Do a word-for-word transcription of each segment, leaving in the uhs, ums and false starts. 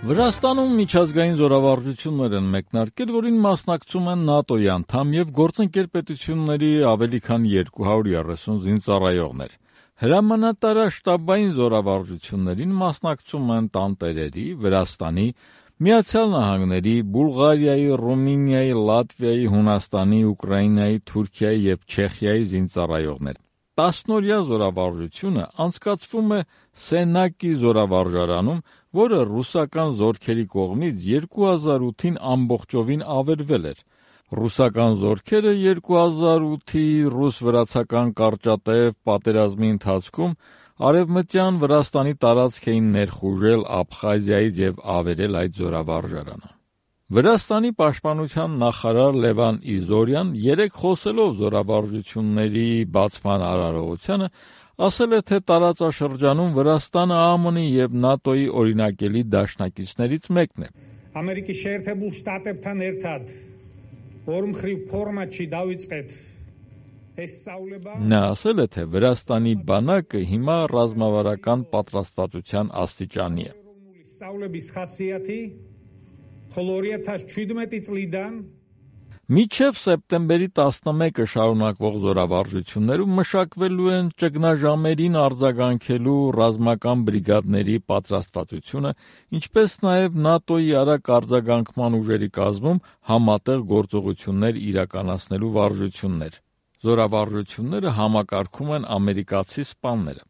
Վրաստանում միջազգային զորավարժություններ են մեկնարկել, որին մասնակցում են ՆԱՏՕ-ի անդամ և գործընկեր պետությունների ավելի քան երկու հարյուր երեսուն զինծառայողներ։ Հրամանատարաշտաբային զորավարժություններին մասնակցում են տանտերերի, Վրաստանի, Միացյալ Նահանգների, Բուլղարիայի, Ռումինիայի, Լատվիայի, Հունաստանի, Ուկրաինայի, Թուրքիայի և Չեխիայի զինծառայողներ։ Տասնօրյա զորավարժությունը անցկացվում է Սենակի զորավարժարանում, որը ռուսական զորքերի կողմից երկու հազար ութին ամբողջովին ավերվել էր։ Ռուսական զորքերը երկու հազար ութի ռուս-վրացական կարճատև պատերազմի ընթացքում արևմտյան Վրաստանի տարածք էին ներխուժել Աբխազիայից և ավերել այդ զորավարժարանը։ Վրաստանի պաշտպանության նախարար Լևան Իզորյան երեկ խոսելով զորավարժությունների բացման արարողությանը ասել է, թե տարածաշրջանում Վրաստանը ԱՄՆ-ի և ՆԱՏՕ-ի օրինակելի դաշնակիցներից մեկն է։ Ամերիկի Շերտեբուլ շտատებთან ერთად ორმխրի ֆորմա չի դավիწყეთ։ Նա ասել է, թե Վրաստանի բանակը հիմա ռազմավարական պատրաստվածության աստիճանի է։ Մինչև սեպտեմբերի տասնմեկը շարունակվող զորավարժություններում մշակվելու են ճգնաժամերին արձագանքելու ռազմական բրիգադների պատրաստվածությունը, ինչպես նաև ՆԱՏՕ-ի արագ արձագանքման ուժերի կազմում համատեղ գործողություններ իրականացնելու վարժություններ։ Զորավարժությունները համակարգում են ամերիկացի սպաները։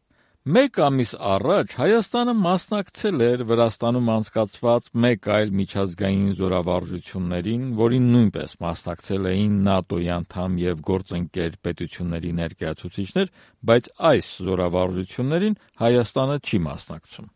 Մեկ ամիս առաջ Հայաստանը մասնակցել էր Վրաստանում անցկացված մեկ այլ միջազգային զորավարժություններին, որին նույնպես մասնակցել էին ՆԱՏՕ-ի անդամ և գործընկեր պետությունների ներկայացուցիչներ, բայց այս զորավարժություններին Հայաստանը չի մասնակցում։